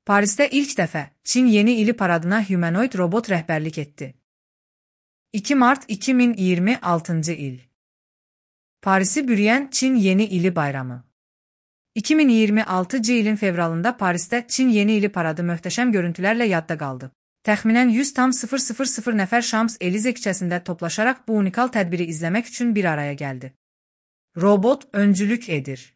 Parisdə ilk dəfə Çin Yeni ili paradına humanoid robot rəhbərlik etdi. 2 mart 2026-cı il. Parisi bürüyən Çin Yeni ili bayramı. 2026-cı ilin fevralında Parisdə Çin Yeni ili paradı möhtəşəm görüntülərlə yadda qaldı. Təxminən 100,000 nəfər Şams-Elize küçəsində toplaşaraq bu unikal tədbiri izləmək üçün bir araya gəldi. Robot öncülük edir.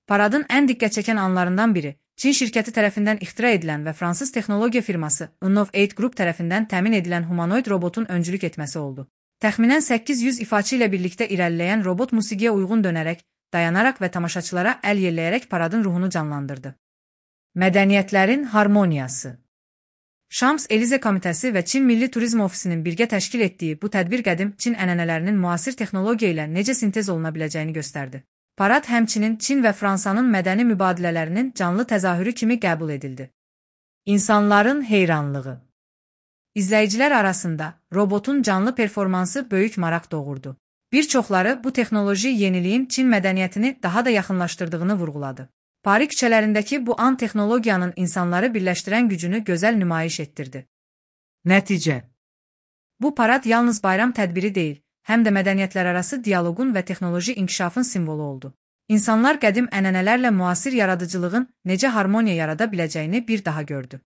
Paradın ən diqqət çəkən anlarından biri, Çin şirkəti tərəfindən ixtira edilən və fransız texnologiya firması Innov8 Group tərəfindən təmin edilən humanoid robotun öncülük etməsi oldu. Təxminən 800 ifaçı ilə birlikdə irəliləyən robot musiqiyə uyğun dönərək, dayanaraq və tamaşaçılara əl yelləyərək paradın ruhunu canlandırdı. Mədəniyyətlərin harmoniyası. Şams-Elize Komitəsi və Çin Milli Turizm Ofisinin birgə təşkil etdiyi bu tədbir qədim Çin ənənələrinin müasir texnologiya ilə necə sintez oluna biləcəyini göstərdi. Parad həmçinin Çin və Fransanın mədəni mübadilələrinin canlı təzahürü kimi qəbul edildi. İnsanların heyranlığı. İzləyicilər arasında robotun canlı performansı böyük maraq doğurdu. Bir çoxları bu texnoloji yeniliyin Çin mədəniyyətini daha da yaxınlaşdırdığını vurğuladı. Paris küçələrindəki bu an texnologiyanın insanları birləşdirən gücünü gözəl nümayiş etdirdi. Nəticə. Bu parad yalnız bayram tədbiri deyil, həm də mədəniyyətlərarası dialoqun və texnoloji inkişafın simvolu oldu. İnsanlar qədim ənənələrlə müasir yaradıcılığın necə harmoniya yarada biləcəyini bir daha gördü.